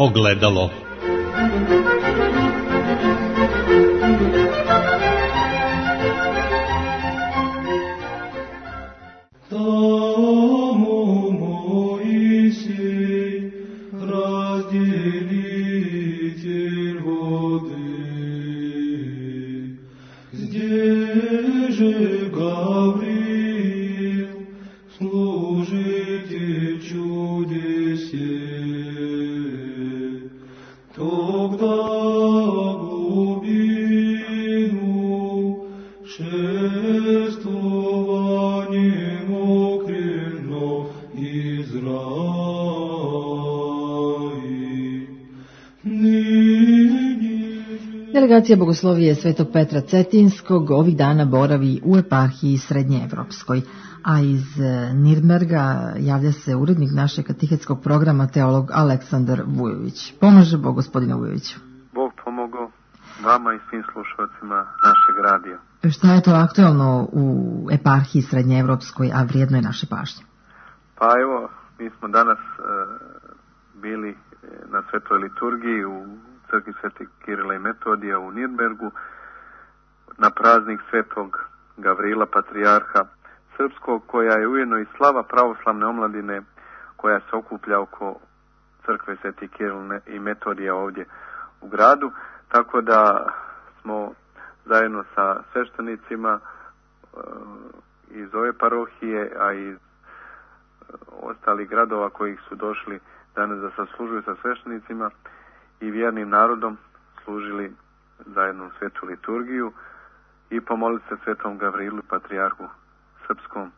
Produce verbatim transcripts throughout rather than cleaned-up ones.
ogledalo. Delegacija Bogoslovije Svetog Petra Cetinskog ovih dana boravi u eparhiji Srednjeevropskoj, a iz Nirnberga javlja se urednik našeg katehetskog programa, teolog Aleksandar Vujović. Pomaže Bog, gospodine Vujoviću. Bog pomogao vama i svim slušalcima našeg radija. Šta je to aktualno u eparhiji Srednjeevropskoj, a vrijedno je naše pažnje? Pa evo, mi smo danas e, bili na svetoj liturgiji u crkvi Svetih Kirila i Metodija u Nirnbergu na praznik Svetog Gavrila, patrijarha srpskog, koja je ujedno i slava pravoslavne omladine koja se okuplja oko crkve Svetih Kirila i Metodija ovdje u gradu, tako da smo zajedno sa sveštenicima e, iz ove parohije, a i iz ostalih gradova kojih su došli danas da saslužuju sa sveštenicima i vjernim narodom služili zajedno svetu liturgiju i pomolili se Svetom Gavrilu, patrijarhu srpskom,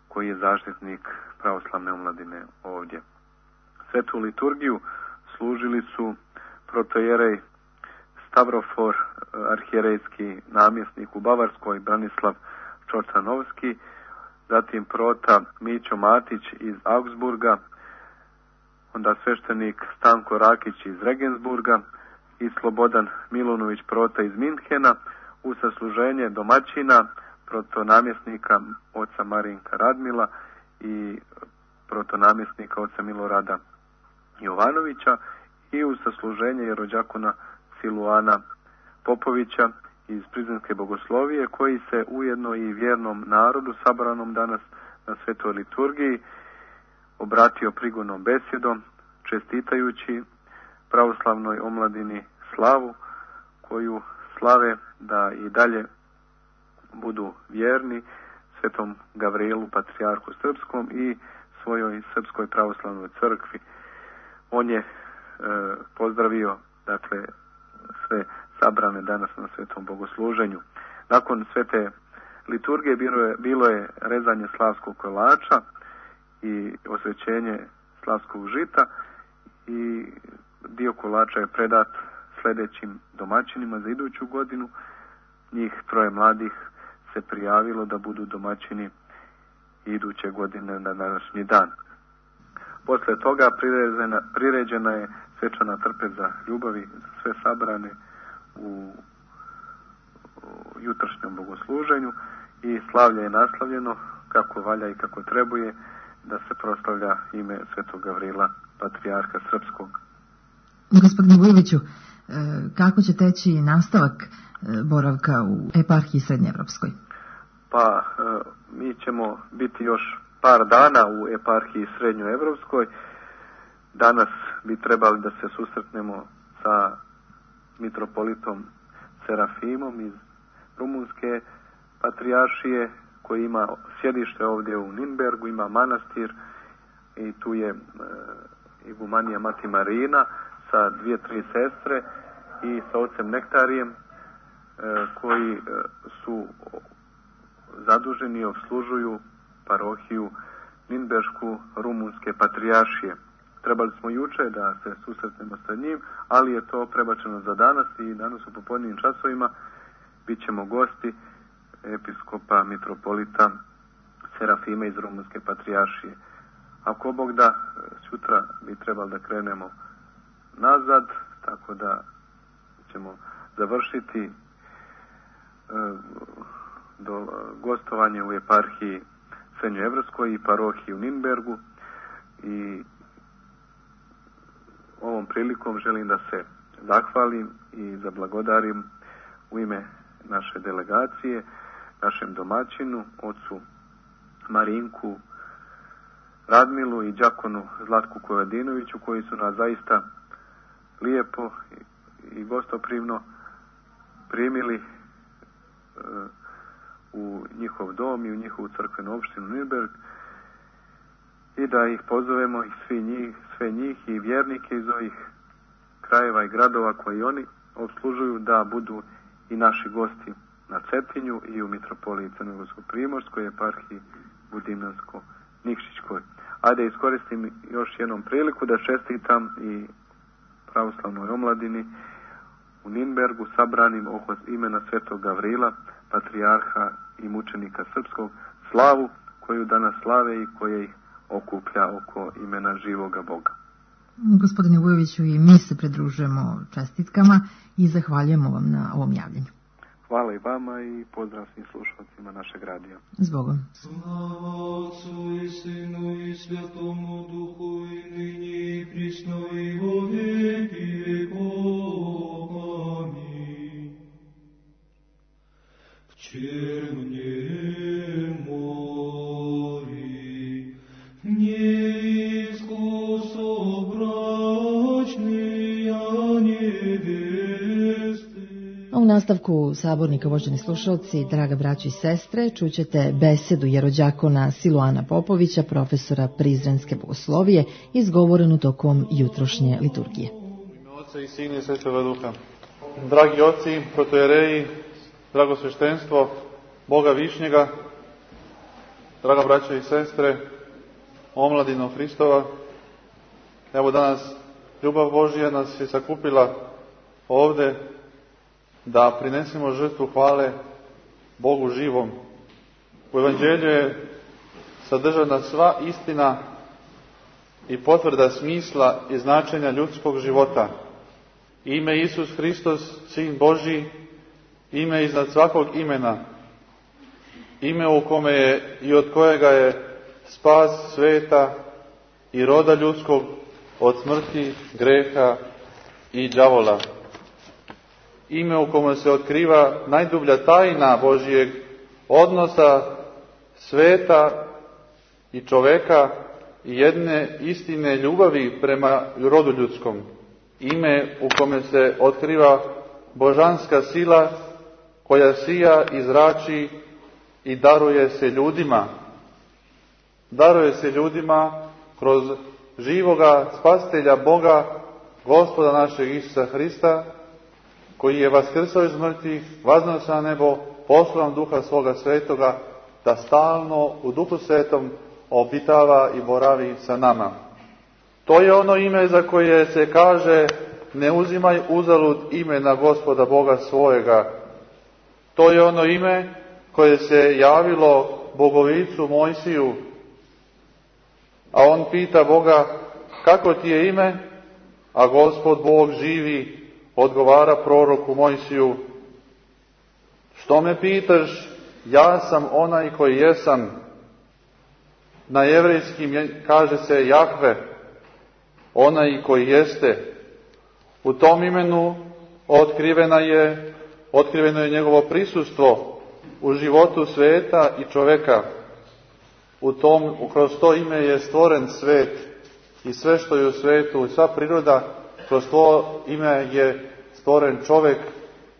koji je zaštitnik pravoslavne omladine ovdje. Svetu liturgiju služili su protojerej Stavrofor, arhijerejski namjesnik u Bavarskoj, Branislav Čortanovski, zatim prota Mićo Matić iz Augsburga, onda sveštenik Stanko Rakić iz Regensburga i Slobodan Milunović prota iz Minhena, u sasluženje domaćina protonamjesnika oca Marinka Radmila i protonamjesnika oca Milorada Jovanovića i u sasluženje rođakona Siluana Popovića iz Prizrenske bogoslovije, koji se ujedno i vjernom narodu sabranom danas na svetoj liturgiji obratio prigodnom besjedom, čestitajući pravoslavnoj omladini slavu koju slave da i dalje budu vjerni Svetom Gavrilu, patrijarhu srpskom i svojoj srpskoj pravoslavnoj crkvi. On je e, pozdravio dakle sve sabrane danas na svetom bogosluženju. Nakon svete liturgije bilo je, bilo je rezanje slavskog kolača i osvećenje slavskog žita i dio kolača je predat sljedećim domaćinima za iduću godinu. Njih troje mladih se prijavilo da budu domaćini iduće godine na današnji dan. Poslije toga priređena, priređena je svečana trpeza ljubavi za sve sabrane u, u jutrošnjem bogosluženju i slavlje je naslavljeno kako valja i kako trebuje da se proslavlja ime Svetog Gavrila, patrijarha srpskog. Gospodine Vujoviću, kako će teći nastavak boravka u eparhiji Srednjeevropskoj? Pa, mi ćemo biti još par dana u eparhiji Srednjoevropskoj. Danas bi trebali da se susretnemo sa mitropolitom Serafimom iz Rumunske patrijaršije, koji ima sjedište ovdje u Nirnbergu, ima manastir i tu je e, igumanija Mati Marina sa dvije, tri sestre i sa ocem Nektarijem e, koji e, su zaduženi i obslužuju parohiju Nirnberšku Rumunske patrijaršije. Trebali smo juče da se susretnemo sa njim, ali je to prebačeno za danas i danas u popodnevnim časovima bit ćemo gosti episkopa mitropolita Serafime iz Rumunske patrijaršije. Ako Bog da, sutra bi trebali da krenemo nazad, tako da ćemo završiti e, do gostovanje u eparhiji Srednjoevropskoj i parohiji u Nirnbergu i ovom prilikom želim da se zahvalim i zablagodarim u ime naše delegacije, našem domaćinu, ocu Marinku Radmilu i đakonu Zlatku Kojadinoviću, koji su nas zaista lijepo i gostoprimno primili e, u njihov dom i u njihovu crkvenu opštinu Nirnberg, i da ih pozovemo i svi njih, sve njih i vjernike iz ovih krajeva i gradova koji oni obslužuju da budu i naši gosti na Cetinju i u mitropoliji Crnogorsko-primorskoj, eparhiji Budimljansko-Nikšićkoj. Ajde iskoristim još jednom priliku da čestitam i pravoslavnoj omladini u Nirnbergu sabranim oko imena Svetog Gavrila, patrijarha i mučenika srpskog, slavu koju danas slave i koje ih okuplja oko imena živoga Boga. Gospodine Vujoviću, i mi se pridružujemo čestitkama i zahvaljujemo vam na ovom javljanju. Hvala i vama i pozdrav svim slušalcima našeg radija. Zbogom. Slava Otcu i Sinu i Svjatomu Duhu i nyní i prisno i во vjeki vjekov. Amin. V červnjem mori nisko sobračni ja neveste. U nastavku sabornika, uvaženi slušalci, draga braćo i sestre, čućete besedu jerođakona Siluana Popovića, profesora Prizrenske bogoslovije, izgovorenu tokom jutrošnje liturgije. Ime Oca i Sina i Svetoga Duha. Dragi oci, protojereji, drago sveštenstvo Boga Višnjega, draga braćo i sestre, omladino Hristova, evo danas ljubav Božija nas je sakupila ovde da prinesemo žrtvu hvale Bogu živom. U Evanđelju je sadržana sva istina i potvrda smisla i značenja ljudskog života. Ime Isus Hristos, Sin Božji, ime iznad svakog imena, ime u kome je i od kojega je spas sveta i roda ljudskog od smrti, greha i đavola. Ime u kome se otkriva najdublja tajna Božijeg odnosa sveta i čoveka i jedne istine ljubavi prema rodu ljudskom. Ime u kome se otkriva božanska sila koja sija i zrači i daruje se ljudima. Daruje se ljudima kroz živoga spasitelja Boga, Gospoda našeg Isusa Hrista, koji je vaskrsao iz mrtvih, vaznao se na nebo, poslao nam Duha svoga svetoga, da stalno u Duhu svetom obitava i boravi sa nama. To je ono ime za koje se kaže: ne uzimaj uzalud imena Gospoda Boga svojega. To je ono ime koje se javilo bogovicu Mojsiju, a on pita Boga: kako ti je ime? A Gospod Bog živi odgovara proroku Mojsiju: što me pitaš, ja sam onaj koji jesam. Na jevrejskim kaže se Jahve, onaj koji jeste. U tom imenu otkrivena je, otkriveno je njegovo prisustvo u životu sveta i čoveka. U tom, kroz to ime je stvoren svet i sve što je u svetu, sva priroda, kroz to ime je stvoren čovek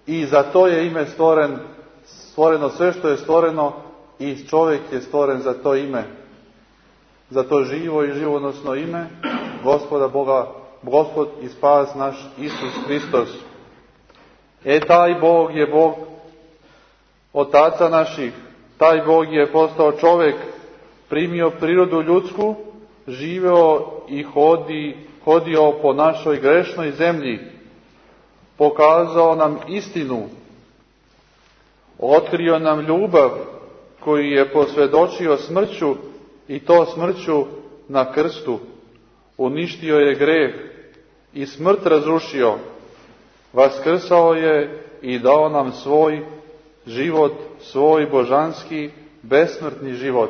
i za to je ime stvoren, stvoreno sve što je stvoreno i čovek je stvoren za to ime. Za to živo i živonosno ime Gospoda Boga, Gospod i spas naš Isus Hristos. E taj Bog je Bog otaca naših, taj Bog je postao čovek, primio prirodu ljudsku, živeo i hodi, hodio po našoj grešnoj zemlji, pokazao nam istinu, otkrio nam ljubav koju je posvjedočio smrću i to smrću na krstu. Uništio je greh i smrt razrušio, vaskrsao je i dao nam svoj život, svoj božanski, besmrtni život.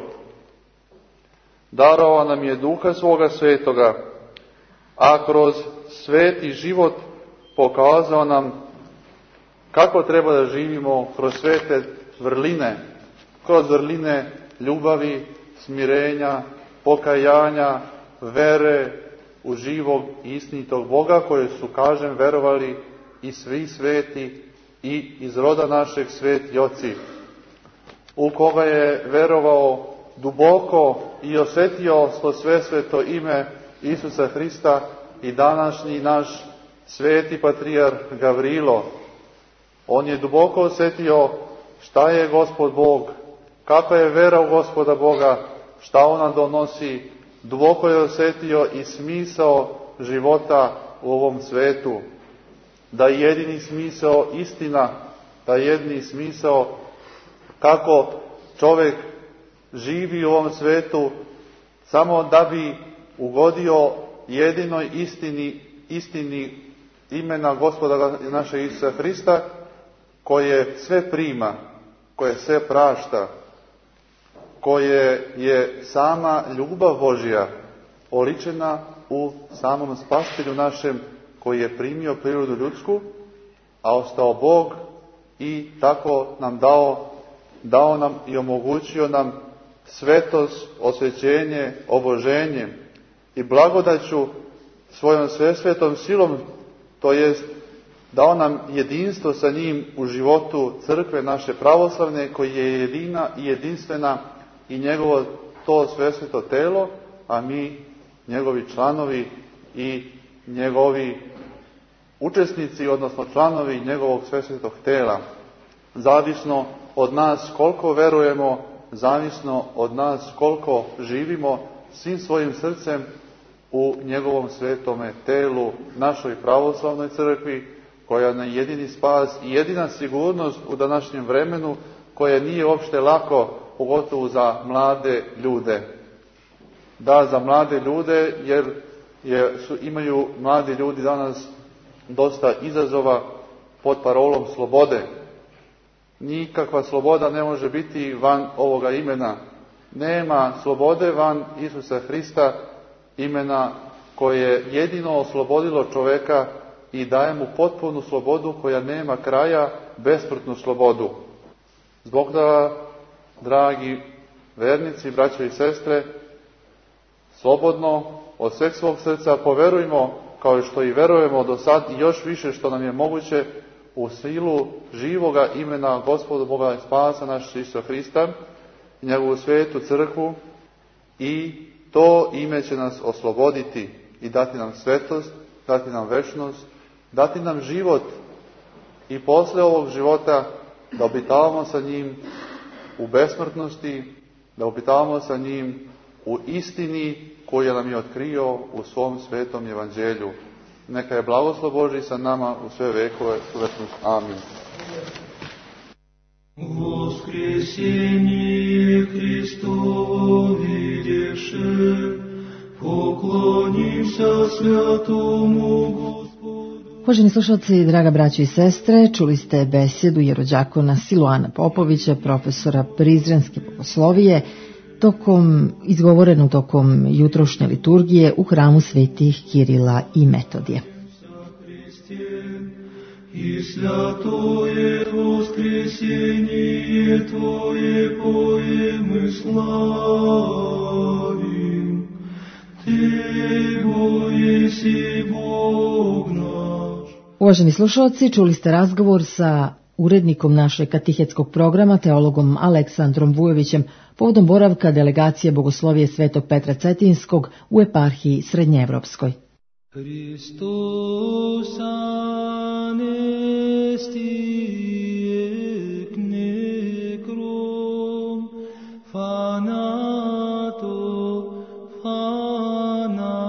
Darovao nam je Duha svoga svetoga, a kroz sveti život pokazao nam kako treba da živimo kroz svete vrline, kroz vrline ljubavi, smirenja, pokajanja, vere u živog i istinitog Boga, koje su, kažem, verovali i svi sveti i iz roda našeg sveti oci, u koga je verovao duboko i osjetio to sve sveto ime Isusa Hrista i današnji naš sveti patrijar Gavrilo. On je duboko osjetio šta je Gospod Bog, kakva je vera u Gospoda Boga, šta ona donosi. Duboko je osjetio i smisao života u ovom svetu. Da je jedini smisao istina, da je jedini smisao kako čovjek živi u ovom svetu samo da bi ugodio jedinoj istini, istini imena Gospoda našeg Isusa Hrista, koje sve prima, koje sve prašta, koje je sama ljubav Božja oličena u samom Spasitelju našem, koji je primio prirodu ljudsku, a ostao Bog i tako nam dao, dao nam i omogućio nam svetost, osvećenje, oboženje i blagodaću svojom svesvetom silom, to jest dao nam jedinstvo sa njim u životu crkve naše pravoslavne, koji je jedina i jedinstvena i njegovo to svesveto telo, a mi njegovi članovi i njegovi učesnici, odnosno članovi njegovog svesvetog tela. Zavisno od nas koliko verujemo, zavisno od nas koliko živimo svim svojim srcem u njegovom svetome telu, našoj pravoslavnoj crkvi, koja nam je jedini spas i jedina sigurnost u današnjem vremenu, koje nije uopšte lako, pogotovo za mlade ljude. Da, za mlade ljude, jer je, su, imaju mladi ljudi danas dosta izazova pod parolom slobode. Nikakva sloboda ne može biti van ovoga imena. Nema slobode van Isusa Hrista, imena koje je jedino oslobodilo čoveka i daje mu potpunu slobodu koja nema kraja, besmrtnu slobodu. Zbog da, dragi vernici, braćo i sestre, slobodno od sveg svog srca poverujmo, kao što i verujemo do sad i još više što nam je moguće, u silu živoga imena Gospoda Boga i Spasa našeg Isusa Hrista i njegovu svetu crkvu, i to ime će nas osloboditi i dati nam svetost, dati nam večnost, dati nam život i posle ovog života da obitavamo sa njim u besmrtnosti, da obitavamo sa njim u istini koju nam je otkrio u svom svetom evanđelju. Neka je blagoslov Božji sa nama u sve vekove. Amin. Воскресение Христово видевши, поклонимся святому Господу. Uvaženi slušalci, draga braćo i sestre, čuli ste besedu jerođakona Siluana Popovića, profesora Prizrenske bogoslovije, tokom, izgovorenu tokom jutrošnje liturgije u hramu svetih Kirila i Metodije. И святое воскресение Твое поем и славим, Ты, Бо еси Бог наш. Uvaženi slušalci, čuli ste razgovor sa urednikom našeg katehetskog programa, teologom Aleksandrom Vujovićem, povodom boravka delegacije Bogoslovije Svetog Petra Cetinskog u eparhiji Srednjeevropskoj. Hristos anesti ec necrom, fanato, fanato.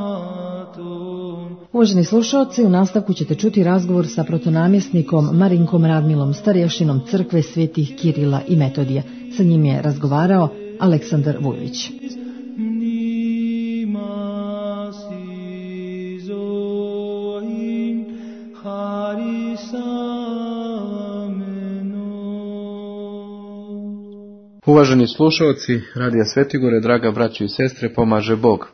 Uvaženi slušalci, u nastavku ćete čuti razgovor sa protonamjesnikom Marinkom Radmilom, starješinom crkve svetih Kirila i Metodija. Sa njim je razgovarao Aleksandar Vujović. Uvaženi slušalci Radija Svetigore, draga braćo i sestre, pomaže Bog.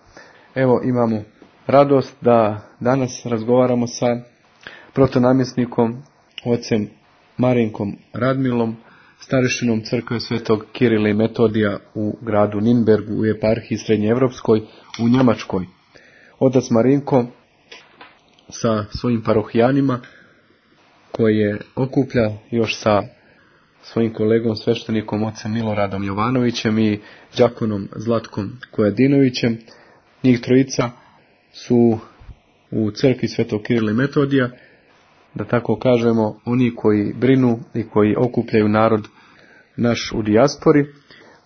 Evo imamo radost da danas razgovaramo sa protonamjesnikom, ocem Marinkom Radmilom, starešinom crkve Svetog Kirila i Metodija u gradu Ninbergu u eparhiji Srednjeevropskoj u Njemačkoj. Otac Marinko sa svojim parohijanima koje okuplja još sa svojim kolegom sveštenikom ocem Miloradom Jovanovićem i đakonom Zlatkom Kojadinovićem. Njih trojica su u crkvi Svetog Kirila i Metodija, da tako kažemo, oni koji brinu i koji okupljaju narod naš u dijaspori,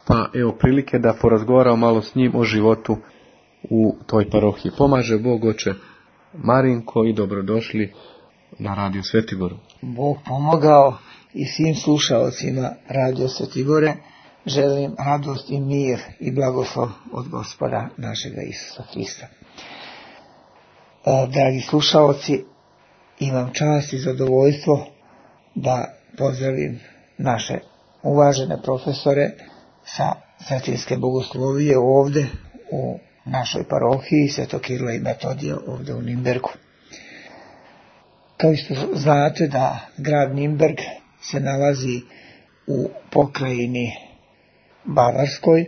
pa evo prilike da porazgovaramo malo s njim o životu u toj parohiji. Pomaže Bog, oče Marinko, i dobrodošli na Radio Svetigoru. Bog pomogao i svim slušaocima Radio Svetigore želim radost i mir i blagoslov od Gospoda našega Isusa Hrista. Dragi slušaoci, imam čast i zadovoljstvo da pozdravim naše uvažene profesore sa Cetinske bogoslovije ovde u našoj parohiji Svetog Kirila i Metodija ovde u Ninbergu. Kao što znate da grad Ninberg se nalazi u pokrajini Bavarskoj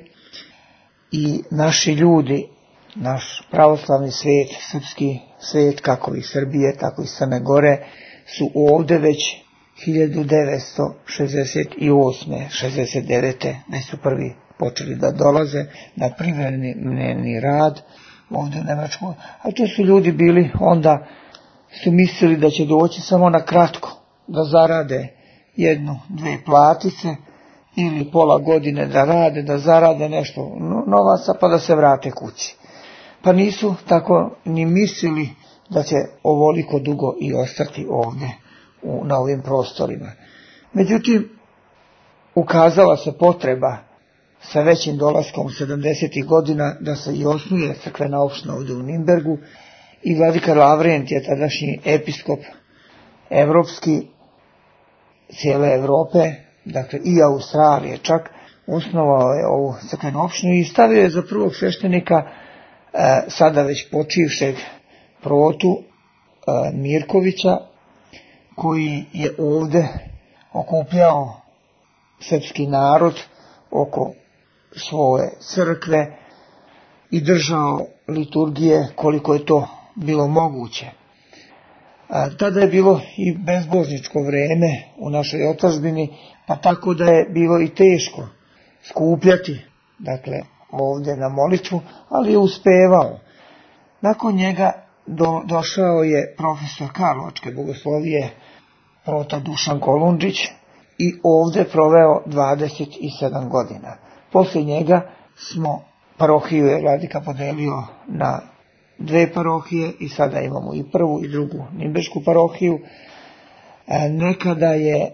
i naši ljudi, naš pravoslavni svet, srpski svet, kako iz Srbije, tako i Crne Gore, su ovde već hiljadu devetsto šezdeset osme. šezdeset devete. već su prvi počeli da dolaze na privremeni rad ovde u Nemačku. A to su ljudi bili, onda su mislili da će doći samo na kratko, da zarade jednu, dve platice ili pola godine da rade, da zarade nešto novaca pa da se vrate kući. Pa nisu tako ni mislili da će ovoliko dugo i ostati ovde u, na ovim prostorima. Međutim, ukazala se potreba sa većim dolaskom sedamdesetih godina da se i osnuje crkvena opština ovde u Ninbergu i vladika Lavrent je tadašnji episkop evropski cijele Evrope, dakle i Australije čak, osnovao je ovu crkvenu opštinu i stavio je za prvog sveštenika e, sada već počivšeg protu e, Mirkovića, koji je ovde okupljao srpski narod oko svoje crkve i držao liturgije koliko je to bilo moguće. A, tada je bilo i bezbožničko vreme u našoj otadžbini, pa tako da je bilo i teško skupljati, dakle, ovde na molitvu, ali je uspevao. Nakon njega do, došao je profesor Karlovačke bogoslovije, prota Dušan Kolundžić, i ovde proveo dvadeset sedam godina. Posle njega smo parohiju je vladika podelio na dve parohije i sada imamo i prvu i drugu Ninberšku parohiju. E, nekada je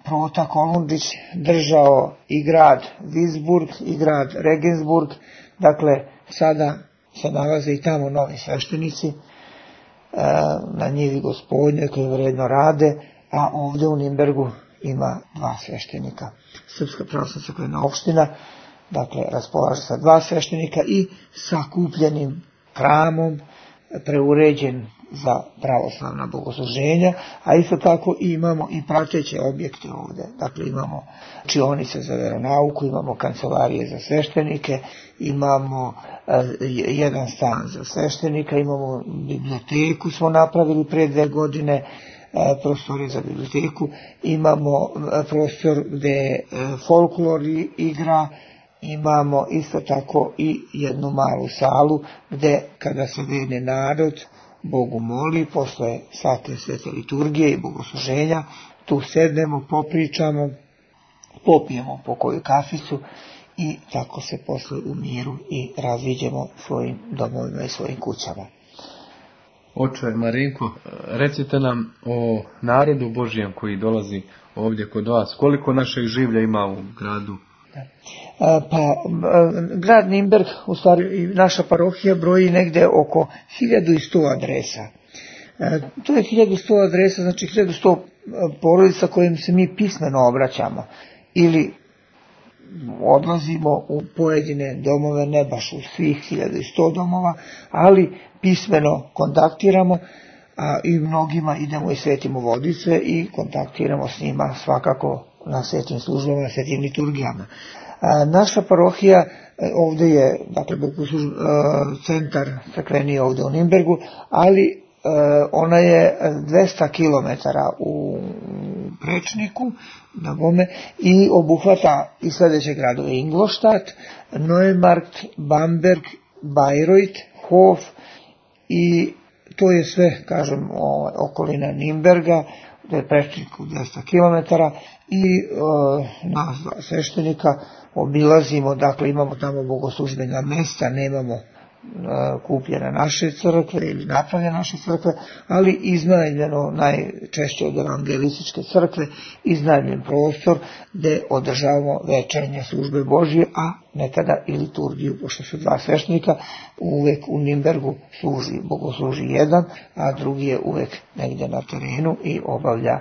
prota Kolundžić držao i grad Visburg i grad Regensburg, dakle sada se nalaze i tamo novi sveštenici e, na njivi Gospodnje koji vredno rade, a ovde u Ninbergu ima dva sveštenika. Srpska pravoslavna crkvena opština, dakle, raspolaže sa dva sveštenika i sa kupljenim hramom, preuređen za pravoslavna bogosluženja, a isto tako imamo i prateće objekte ovde. Dakle, imamo učionice za veronauku, imamo kancelarije za sveštenike, imamo uh, jedan stan za sveštenika, imamo biblioteku, smo napravili pre dve godine, prostori za biblioteku, imamo prostor gde folklor igra, imamo isto tako i jednu malu salu gde kada se vene narod Bogu moli, posle svake svete liturgije i bogosluženja, tu sednemo, popričamo, popijemo po koju kaficu i tako se posle u miru i raziđemo svojim domovima i svojim kućama. Oče Marinko, recite nam o narodu Božijem koji dolazi ovdje kod vas. Koliko našeg življa ima u gradu? Pa, grad Ninberg, u stvari naša parohija broji negde oko hiljadu sto adresa. To je hiljadu sto adresa, znači hiljadu sto porodica kojim se mi pismeno obraćamo. Ili odlazimo u pojedine domove, ne baš u svih hiljadu sto domova, ali pismeno kontaktiramo, a i mnogima idemo i svetimo vodice i kontaktiramo s njima svakako na svetim službama, na svetim liturgijama. A, naša parohija ovdje je, dakle, centar crkveni ovdje u Nimbergu, ali ona je dvesta kilometara u prečniku na Bome i obuhvata i sljedeće gradove: Ingolstadt, Neumarkt, Bamberg, Bayreuth, Hof, i to je sve, kažem, okolina Nimberga, da je prečnik u dvesta kilometara, i e, nas dva sveštenika obilazimo, dakle imamo tamo bogoslužbena mesta, nemamo kupljene naše crkve ili napravljene naše crkve, ali iznajmljeno najčešće od evangelističke crkve, iznajmljen prostor gdje održavamo večernje službe Božje, a nekada i liturgiju, pošto su dva sveštenika, uvek u Nimbergu služi, bogosluži jedan, a drugi je uvek negdje na terenu i obavlja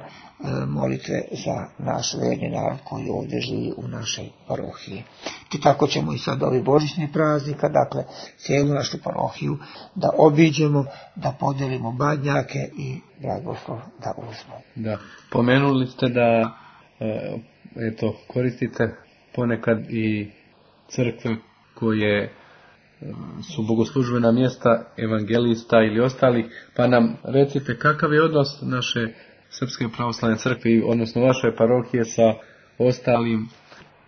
molitve za naš verni narod koji ovdje živi u našoj parohiji. I tako ćemo i sad ovi božićni praznika, dakle cijelu našu parohiju da obiđemo, da podelimo badnjake i blagoslov da uzmemo. Da, pomenuli ste da eto, koristite ponekad i crkve koje su bogoslužbena mjesta evangelista ili ostalih, pa nam recite kakav je odnos naše Srpske pravoslavne crkve, odnosno vaše parohije, sa ostalim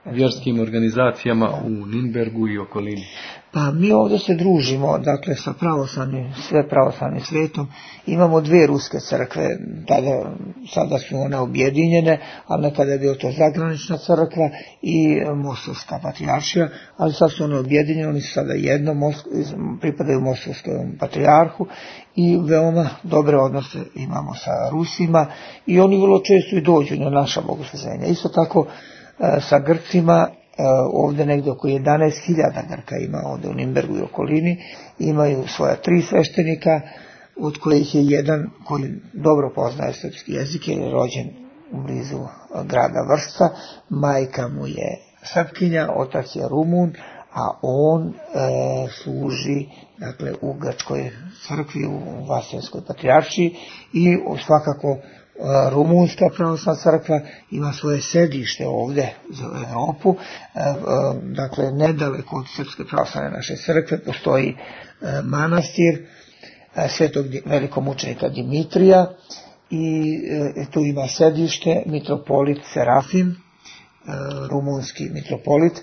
vjerskim organizacijama u Nimbergu i okolini? Pa mi ovdje se družimo, dakle, sa pravoslavnim, sve pravoslavnim svetom. Imamo dvije ruske crkve, tada, sada su one objedinjene, ali nekada je bio to zagranična crkva i Mostovska patrijaršija, ali sad su one objedinjene, oni su sada jedno, pripadaju Mostovskom patrijarhu i veoma dobre odnose imamo sa Rusima i oni vrlo često i dođu na naša bogosluženja. Isto tako sa Grcima, ovdje negdje oko jedanaest hiljada Grka ima ovdje u Nimbergu i okolini, imaju svoja tri sveštenika, od kojih je jedan koji dobro poznaje srpski jezik, jer je rođen blizu grada Vršca, majka mu je Srpkinja, otac je Rumun, a on e, služi, dakle, u Grčkoj crkvi, u Vaselskoj patrijaršiji, i svakako Rumunska pravoslavna crkva ima svoje sedište ovdje za Europu, dakle nedaleko od Srpske pravoslavne naše crkve postoji manastir svetog velikomučenika Dimitrija i tu ima sedište mitropolit Serafim, rumunski mitropolit,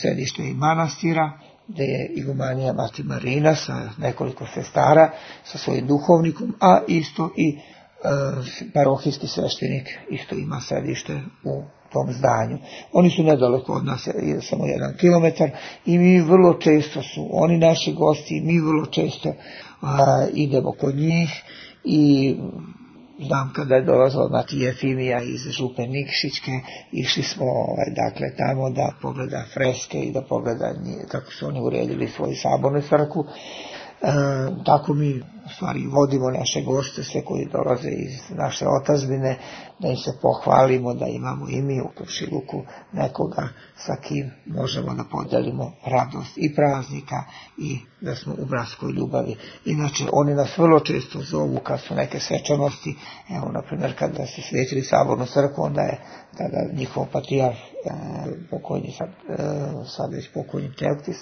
sedište i manastira, gdje je igumanija Mati Marina sa nekoliko sestara, sa svojim duhovnikom, a isto i e, parohijski sveštenik isto ima sedište u tom zdanju. Oni su nedaleko od nas, samo jedan kilometar, i mi vrlo često su oni naši gosti, mi vrlo često a, idemo kod njih i znam kada je dolazila Mati Jefimija iz Župe Nikšićke, išli smo ovaj, dakle, tamo da pogleda freske i da pogleda kako su oni uredili svoju sabornu crkvu. E, tako mi u stvari vodimo naše goste, sve koji dolaze iz naše otadžbine, da im se pohvalimo da imamo i mi u komšiluku nekoga sa kim možemo da podelimo radost i praznika i da smo u bratskoj ljubavi. Inače, oni nas vrlo često zovu kad su neke svečanosti, evo, na primjer, kada su svetili sabornu crkvu, onda je tada njihov patrijarh, e, pokojni, sad, e, sad već pokojni Teoktis,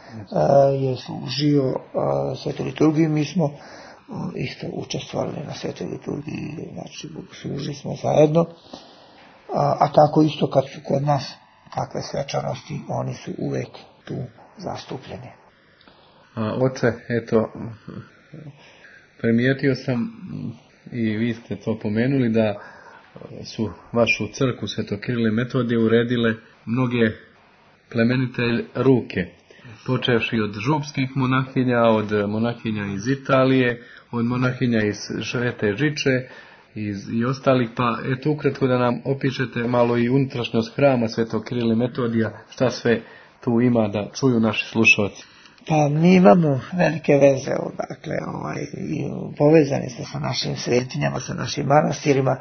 Uh, je služio uh, svetoj liturgiji. Mi smo uh, isto učestvovali na svetoj liturgiji, znači služili smo zajedno, uh, a tako isto kad su kod nas kakve svečanosti, oni su uvek tu zastupljeni. A, oče, eto, primijetio sam i vi ste to pomenuli da su vašu crkvu Svetog Kirila i Metodija uredile mnoge plemenite ruke, počevši od župskih monahinja, od monahinja iz Italije, od monahinja iz Svete Žiče iz, i ostalih, pa eto ukratko da nam opišete malo i unutrašnjost hrama Svetog Kirila i Metodija, šta sve tu ima da čuju naši slušalci. Pa mi imamo velike veze, dakle, ovaj, povezani smo sa našim svetinjama, sa našim manastirima,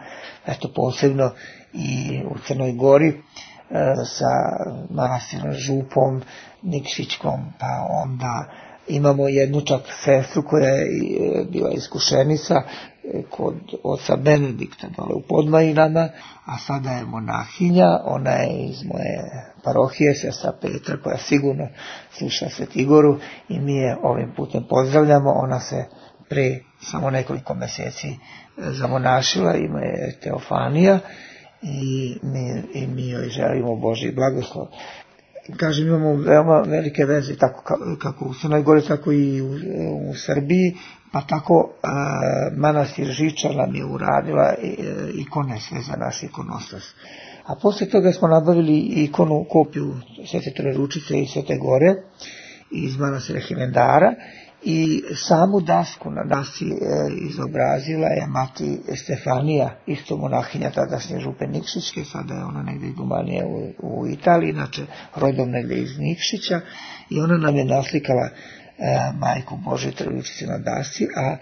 eto posebno i u Crnoj Gori, e, sa manastirom Župom, Nikšićkom, pa onda imamo jednu čak sestru koja je bila iskušenica kod oca Benedikta dole u Podmajinama, a sada je monahinja, ona je iz moje parohije, sestra Petra, koja sigurno sluša Svetigoru i mi je ovim putem pozdravljamo. Ona se pre samo nekoliko mjeseci zamonašila, ime je Teofanija i mi, i mi joj želimo Božji blagoslov. Kažem, imamo veoma velike veze tako kako u Crnoj Gori, tako i u, u Srbiji, pa tako a, manastir Žiča nam je uradila ikone sve za naš ikonostas. A posle toga smo nabavili ikonu, kopiju Svete Trojeručice i Svete Gore iz manastira Himendara i samu dasku na dasci e, izobrazila je mati Stefanija, isto monahinja tadašnje Župe Nikšićke, sada je ona negdje dumanije u, u Italiji, inače rodom negdje iz Nikšića, i ona nam je naslikala e, majku Božje Trojeručice na dasci, a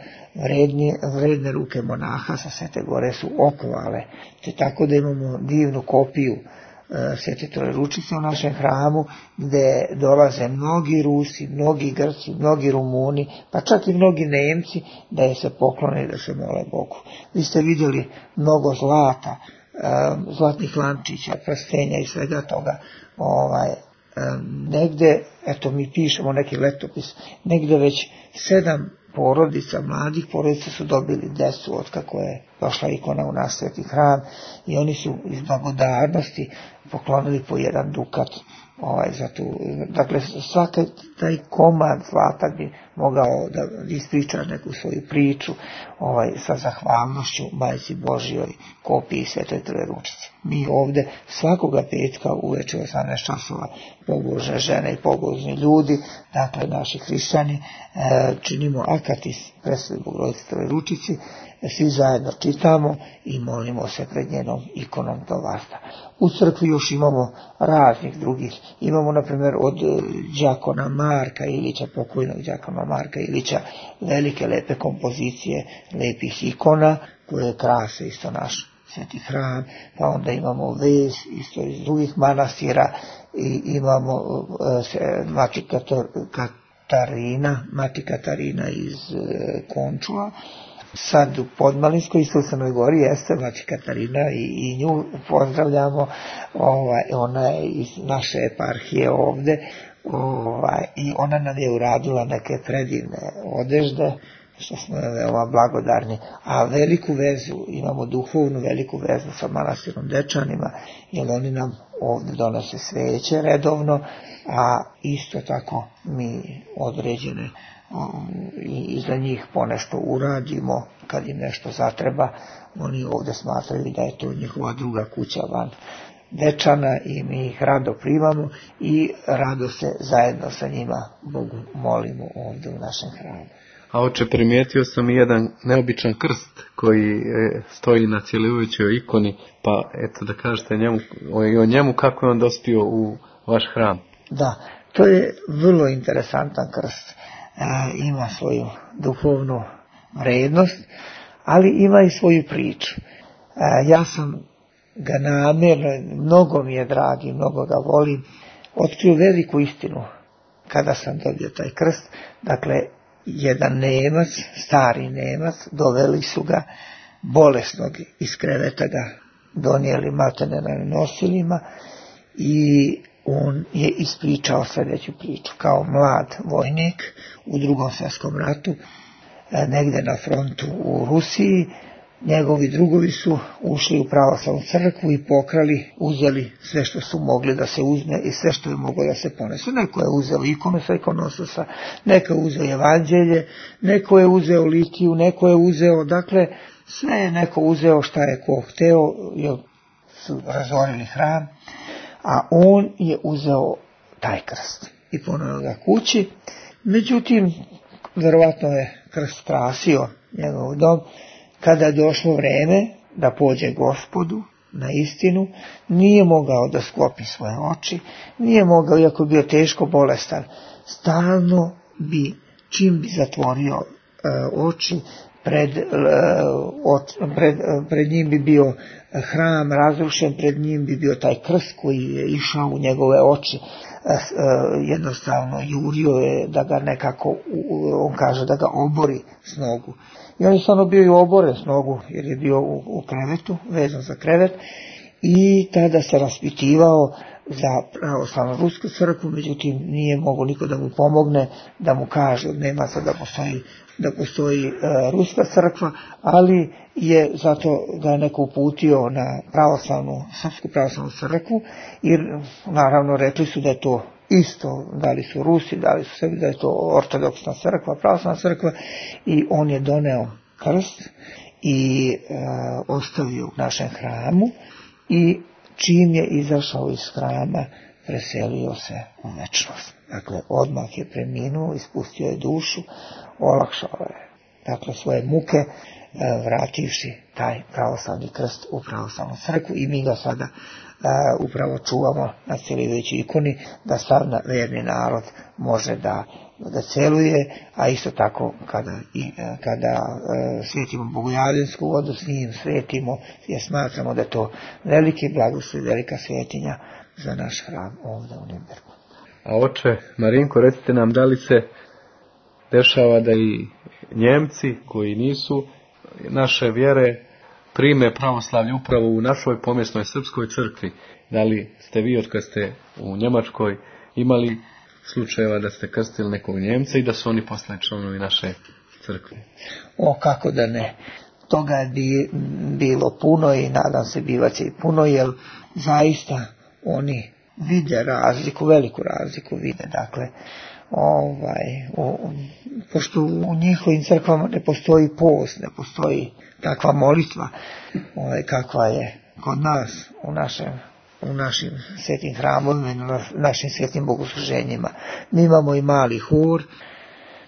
vredne, vredne ruke monaha sa Svete Gore su okovale, te tako da imamo divnu kopiju Svete Trojeručice u našem hramu, gde dolaze mnogi Rusi, mnogi Grci, mnogi Rumuni, pa čak i mnogi Nemci, da je se poklone i da se mole Bogu. Vi ste vidjeli mnogo zlata, zlatnih lančića, prstenja i svega toga. Ovaj, negde, eto mi pišemo neki letopis, negde već sedam porodica, mladih porodica su dobili decu od kako je došla ikona u naš sveti hram, i oni su iz blagodarnosti poklonili po jedan dukat ovaj, za tu. Dakle, svaki taj komad zlata bi mogao da ispriča neku svoju priču ovaj, sa zahvalnošću Majci Božjoj, kopiji Svetoj Trojeručice. Mi ovde svakoga petka uveče u osamnaest časova pobožne žene i pobožni ljudi, dakle naši hrišćani, e, činimo akatis Presvetoj Bogorodici Trojeručici, svi zajedno čitamo i molimo se pred njenom ikonom do varta. U crkvi još imamo raznih drugih, imamo na primjer od đakona Marka Ilića, pokojnog đakona Marka Ilića, velike lepe kompozicije lepih ikona koje krase isto naš sveti hram, pa onda imamo vez isto iz drugih manastira i imamo uh, mati Katarina, mati Katarina iz uh, Končula. Sad u Podmalinskoj, isto u Crnoj Gori, jeste mati Katarina i, i nju pozdravljamo, ovaj, ona je iz naše eparhije ovde, ovaj, i ona nam je uradila neke predivne odežde, što smo veoma blagodarni, a veliku vezu, imamo duhovnu veliku vezu sa manastirom Dečanima, jer oni nam ovdje donose sveće redovno, a isto tako mi određene i za njih ponešto uradimo, kad im nešto zatreba, oni ovdje smatraju da je to njihova druga kuća van Dečana i mi ih rado primamo i rado se zajedno sa njima Bogu molimo ovdje u našem hramu. A oče, primijetio sam i jedan neobičan krst koji stoji na cjelujućoj ikoni, pa eto da kažete njemu, o njemu kako je on dospio u vaš hram. Da, to je vrlo interesantan krst. E, ima svoju duhovnu vrednost, ali ima i svoju priču. E, ja sam ga namjerno, mnogo mi je dragi, mnogo ga volim, otkrio veliku istinu kada sam dobio taj krst. Dakle, jedan Nemac, stari Nemac, doveli su ga bolesnog iz kreveta, ga donijeli maltene na nosilima i on je ispričao sljedeću priču. Kao mlad vojnik u drugom svjetskom ratu, negdje na frontu u Rusiji, njegovi drugovi su ušli u pravoslavnu crkvu i pokrali, uzeli sve što su mogli da se uzme i sve što je moglo da se ponese. Neko je uzeo ikonu sa ikonostosa, neko je uzeo evanđelje, neko je uzeo litiju, neko je uzeo, dakle, sve je neko uzeo šta je ko hteo, jer su razorili hram, a on je uzeo taj krst i ponovno ga kući. Međutim, verovatno je krst krasio njegov dom. Kada je došlo vreme da pođe Gospodu na istinu, nije mogao da sklopi svoje oči, nije mogao, iako je bio teško bolestan, stalno bi, čim bi zatvorio oči, Pred, pred, pred njim bi bio hram razrušen, pred njim bi bio taj krst koji je išao u njegove oči, jednostavno jurio je da ga nekako, on kaže da ga obori s nogu. I on je stvarno bio i oboren s nogu jer je bio u, u krevetu, vezan za krevet, i tada se raspitivao za pravoslavnu rusku crkvu, međutim nije mogao niko da mu pomogne, da mu kaže od Nemaca da postoji, da postoji uh, ruska crkva, ali je zato ga je neko uputio na pravoslavnu, srpsku pravoslavnu crkvu, jer naravno rekli su da je to isto, da li su Rusi, da li su sebi, da je to ortodoksna crkva, pravoslavna crkva, i on je doneo krst i uh, ostavio u našem hramu, i čim je izašao iz hrama, preselio se u večnost. Dakle, odmah je preminuo, ispustio je dušu, olakšao je, dakle, svoje muke, vrativši taj pravoslavni krst u pravoslavnu crkvu, i mi ga sada uh, upravo čuvamo na celijujućoj ikoni, da sav verni narod može da da celuje, a isto tako kada, i, kada uh, svetimo bogojavljensku vodu s njim, svetimo, jer smatramo da je to veliki blagoslov, velika svetinja za naš hram ovdje u Nirnbergu. A oče Marinko, recite nam, da li se dešava da i Njemci koji nisu naše vjere prime pravoslavlje upravo u našoj pomjesnoj srpskoj crkvi? Da li ste vi, od kad ste u Njemačkoj, imali slučajeva da ste krstili nekog Njemca i da su oni posle članovi naše crkve? O, kako da ne. Toga je bi, bilo puno i nadam se bivaće i puno, jer zaista oni vide razliku, veliku razliku vide. Dakle, ovaj, o, pošto u njihovim crkvama ne postoji post, ne postoji takva molitva, ovaj, kakva je kod nas u našem u našim svetim hramovima i na našim svetim bogosluženjima. Mi imamo i mali hor,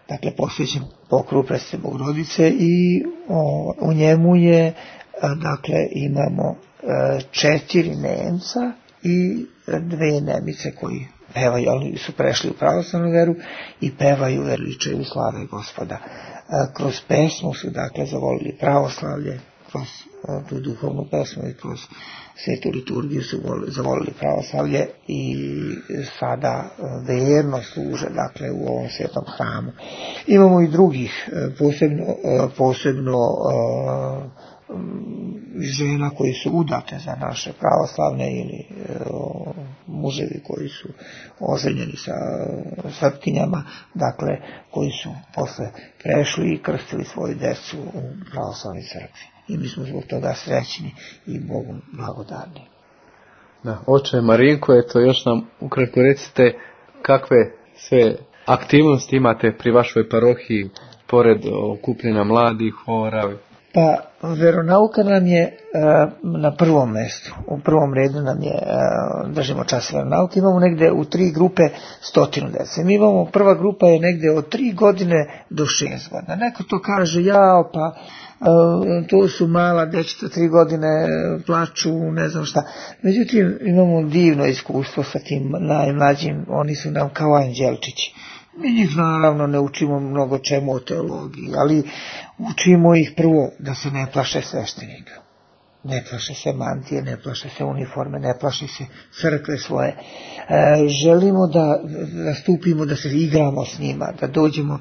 dakle posvećen pokrovu Presvete Bogorodice, i o, u njemu je, dakle, imamo četiri Nemca i dve Nemice koji pevaju, ali su prešli u pravoslavnu veru i pevaju veličaju i slave Gospoda. Kroz pesmu su, dakle, zavolili pravoslavlje, kroz tu duhovnu pesmu i kroz svetu liturgiju su zavolili pravoslavlje i sada verno služe, dakle, u ovom svetom hramu. Imamo i drugih, posebno, posebno žena koji su udate za naše pravoslavne, ili muževi koji su oženjeni sa srpkinjama, dakle, koji su posle prešli i krstili svoju decu u pravoslavnoj crkvi. I mi smo zbog toga srećni i Bogu blagodarni. Da, oče Marinko, eto još nam ukratko recite kakve sve aktivnosti imate pri vašoj parohiji, pored okupljena mladih, hora. Pa, veronauka nam je uh, na prvom mjestu. U prvom redu nam je, uh, držimo čas veronauke, imamo negde u tri grupe stotinu dece. Mi imamo, prva grupa je negde od tri godine do šest godina. Neko to kaže, jao, pa Uh, to su mala dečeta, tri godine plaču, ne znam šta. Međutim, imamo divno iskustvo sa tim najmlađim, oni su nam kao anđelčići. Mi njih naravno ne učimo mnogo čemu o teologiji, ali učimo ih prvo da se ne plaše sveštenika. Ne plaše se mantije, ne plaše se uniforme, ne plaše se crkve svoje. E, želimo da, da stupimo, da se igramo s njima, da dođemo e,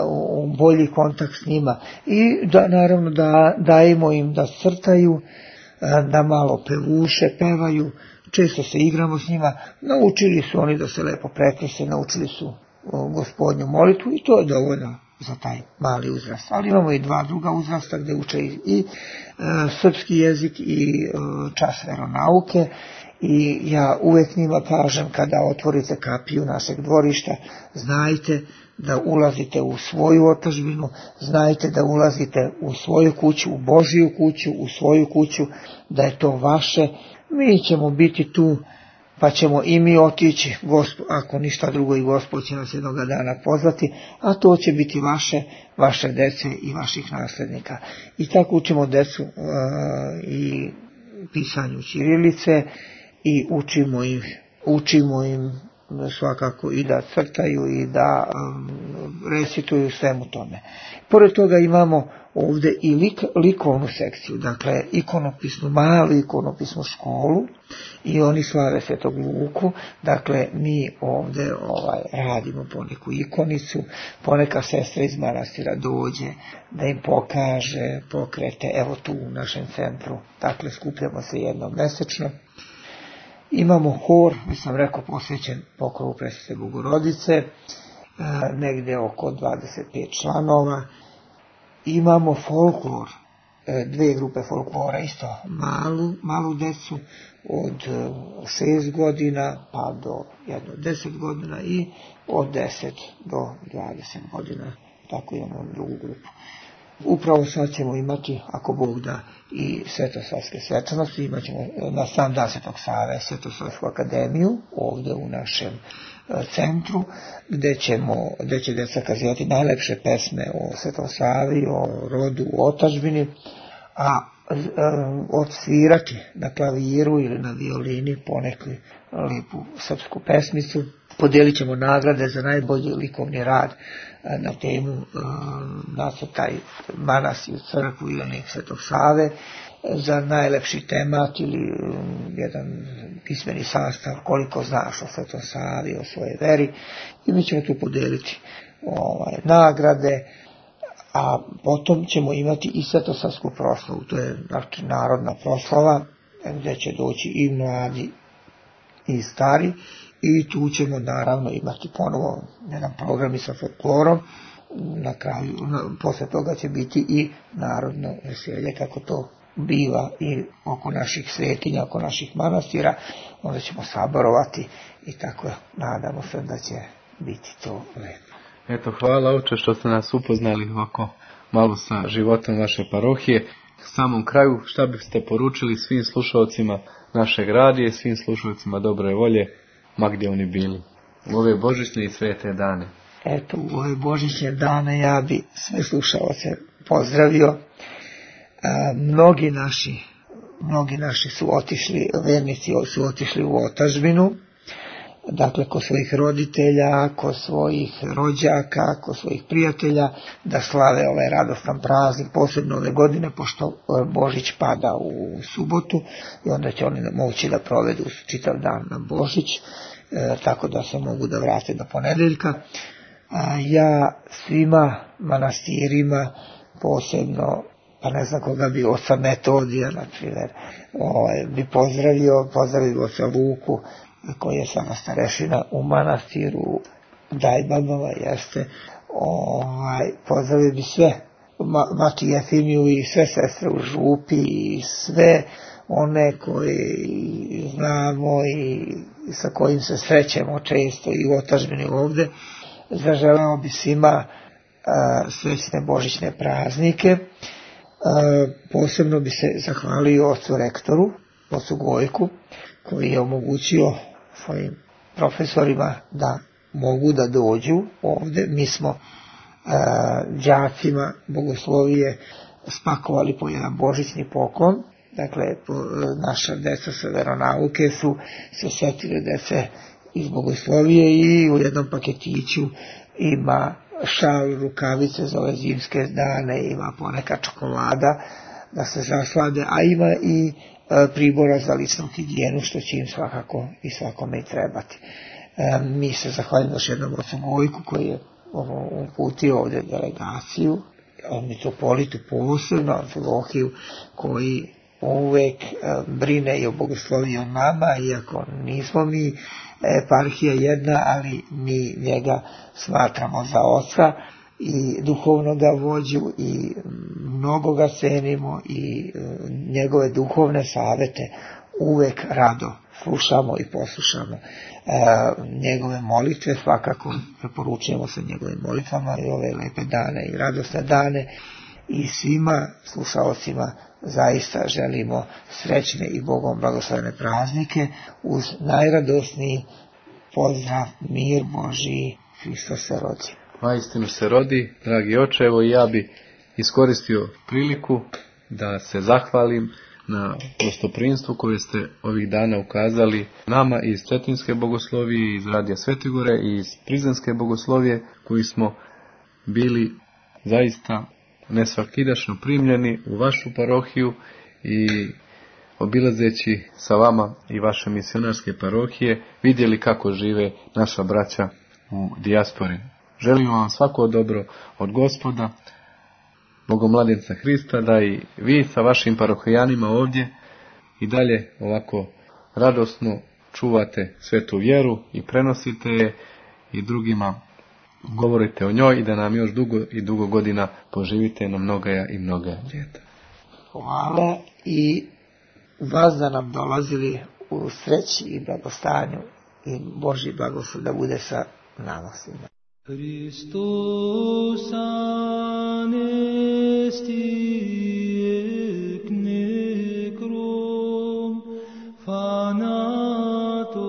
u bolji kontakt s njima i da naravno da dajemo im da crtaju, e, da malo pevuše, pevaju, često se igramo s njima. Naučili su oni da se lepo prekrse, naučili su o, Gospodnju molitvu i to je dovoljno za taj mali uzrast. Ali imamo i dva druga uzrasta gdje uče i, i e, srpski jezik i e, čas veronauke, i ja uvek njima kažem, kada otvorite kapiju našeg dvorišta, znajte da ulazite u svoju otadžbinu, znajte da ulazite u svoju kuću, u Božiju kuću, u svoju kuću, da je to vaše. Mi ćemo biti tu, pa ćemo i mi otići, Gospo, ako ništa drugo i Gospod će nas jednoga dana pozvati, a to će biti vaše, vaše dece i vaših naslednika. I tako učimo decu uh, i pisanju ćirilice i učimo im, učimo im svakako i da crtaju i da um, recituju svemu tome. Pored toga imamo ovdje i lik, likovnu sekciju, dakle ikonopisnu, malu ikonopisnu školu i oni slave Svetog Luku, dakle mi ovdje ovaj, radimo poneku ikonicu, poneka sestra iz manastira dođe da im pokaže pokrete, evo tu u našem centru, dakle skupljamo se jednom mesečno. Imamo hor, već sam rekao, posvećen pokrovu Presvete Bogorodice, e, negdje oko dvadeset pet članova. Imamo folklor, e, dve grupe folklora, isto malu, malu decu od šest godina pa do jedno deset godina i od deset do dvadeset godina, tako imamo drugu grupu. Upravo sad ćemo imati, ako Bog da, i svetosavske svečanosti, imat ćemo na sam dan Svetog Save Svetosavsku akademiju ovdje u našem centru, gdje, ćemo, gdje će djeca kazivati najlepše pesme o Svetom Savi, o rodu, o otadžbini, a odsvirati na klaviru ili na violini poneku lijepu srpsku pesmicu. Podijelit ćemo nagrade za najbolji likovni rad na temu nacrtaj manastir u crkvu ili Svetog Save, za najlepši temat ili jedan pismeni sastav koliko znaš o Svetom Savi, o svojoj veri, i mi ćemo tu podijeliti ovaj, nagrade. A potom ćemo imati i svetosavsku proslavu, to je znači narodna proslava gdje će doći i mladi i stari, i tu ćemo naravno imati ponovo jedan program i sa folklorom. Na kraju, posle toga će biti i narodno veselje, kako to biva i oko naših svetinja, oko naših manastira, onda ćemo saborovati i tako nadamo se da će biti to lepo. Eto, hvala oče što ste nas upoznali ovako malo sa životom vaše parohije. U samom kraju, šta biste poručili svim slušalcima našeg radija, svim slušalcima dobre volje, ma gdje oni bili, u ove božićne i svete dane? Eto, u ove božićne dane ja bi sve slušalce pozdravio. A, mnogi naši, mnogi naši su otišli, vernici su otišli u otadžbinu, dakle kod svojih roditelja, kod svojih rođaka, kod svojih prijatelja, da slave ovaj radostan praznik, posebno ove godine, pošto Božić pada u subotu i onda će oni moći da provedu čitav dan na Božić, e, tako da se mogu da vrate do ponedeljka. A ja svima manastirima, posebno, pa ne znam koga bi, oca Metodija, na primjer, ovaj, bi pozdravio, pozdravio oca Luku, koji je sada starešina u manastiru Dajbabova, jeste, ovaj, pozdravio bi sve, Ma, Mati Jefimiju i sve sestre u župi i sve one koje znamo i sa kojim se srećemo često i u otadžbini ovdje. Zaželeo bi svima a, srećne božićne praznike. A, posebno bi se zahvalio ocu rektoru, ocu Gojku, koji je omogućio svojim profesorima da mogu da dođu ovdje. Mi smo e, đacima bogoslovije spakovali po jedan božićni poklon, dakle po, naša deca sa veronauke su se setili dece iz bogoslovije i u jednom paketiću ima šal, rukavice za ove zimske dane, ima poneka čokolada da se zaslade, a ima i pribora za ličnu higijenu, što će im svakako i svakome i trebati. E, mi se zahvaljujemo još jednom ocu Gojku koji je uputio ovdje delegaciju, mitropolitu posebno, Amfilohiju, koji uvek e, brine i o bogosloviji o nama, iako nismo mi eparhija jedna, ali mi njega smatramo za oca i duhovno ga vođu i mnogo ga cenimo i njegove duhovne savete uvek rado slušamo i poslušamo. E, njegove molitve svakako preporučujemo se njegovim molitvama i ove lepe dane i radosne dane, i svima slušalcima zaista želimo srećne i Bogom blagoslovene praznike uz najradosniji pozdrav: mir Božiji, Hristos se rodi. Vaistinu se rodi, dragi oče, evo i ja bi iskoristio priliku da se zahvalim na gostoprimstvo koje ste ovih dana ukazali nama iz Cetinske bogoslovije, iz Radija Svetigore i iz Prizrenske bogoslovije, koji smo bili zaista nesvakidašno primljeni u vašu parohiju i obilazeći sa vama i vaše misionarske parohije vidjeli kako žive naša braća u dijaspori. Želimo vam svako dobro od Gospoda, Bogomladenca Hrista, da i vi sa vašim parohijanima ovdje i dalje ovako radosno čuvate svetu vjeru i prenosite je i drugima govorite o njoj i da nam još dugo i dugo godina poživite na mnogaja i mnoga ljeta. Hvala i vas da nam dolazili u sreći i blagostanju i Božji blagoslov da bude sa nama svima. Christus anesti ec necrom fanato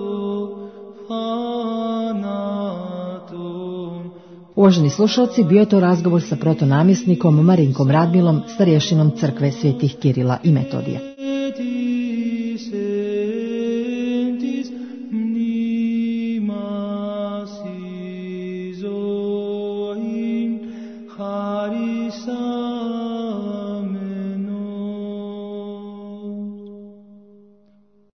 fanatum. Uvaženi slušalci, bio je to razgovor sa protonamjesnikom Marinkom Radmilom, starješinom crkve svetih Kirila i Metodija. Son